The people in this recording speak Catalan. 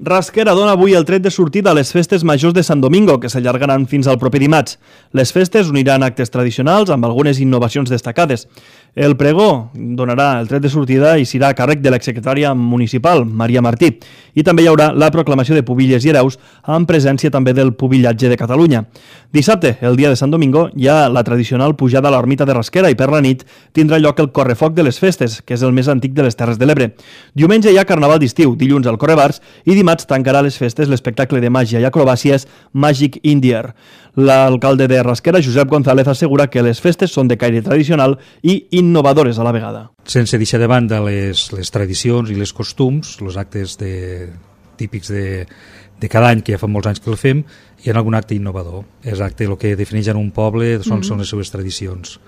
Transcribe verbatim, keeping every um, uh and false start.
Rasquera dona avui el tret de sortida a les festes majors de Sant Domingo, que s'allargaran fins al proper dimarts. Les festes uniran actes tradicionals amb algunes innovacions destacades. El pregó donarà el tret de sortida i serà a càrrec de l'exsecretària municipal, Maria Martí. I també hi haurà la proclamació de pubilles i hereus amb presència també del pubillatge de Catalunya. Dissabte, el dia de Sant Domingo, hi ha la tradicional pujada a l'ermita de Rasquera i per la nit tindrà lloc el correfoc de les festes, que és el més antic de les Terres de l'Ebre. Diumenge hi ha carnaval d'estiu, dilluns el correbars i dimarts tancarà les festes l'espectacle de màgia i acrobàcies Magic Indier. L'alcalde de Rasquera, Josep González, assegura que les festes són de caire tradicional i innovadores a la vegada. Sense deixar de banda les, les tradicions i les costums, els actes de, típics de, de cada any, que ja fa molts anys que el fem, hi ha algun acte innovador. És acte el que defineix en un poble, són, mm-hmm. són les seves tradicions.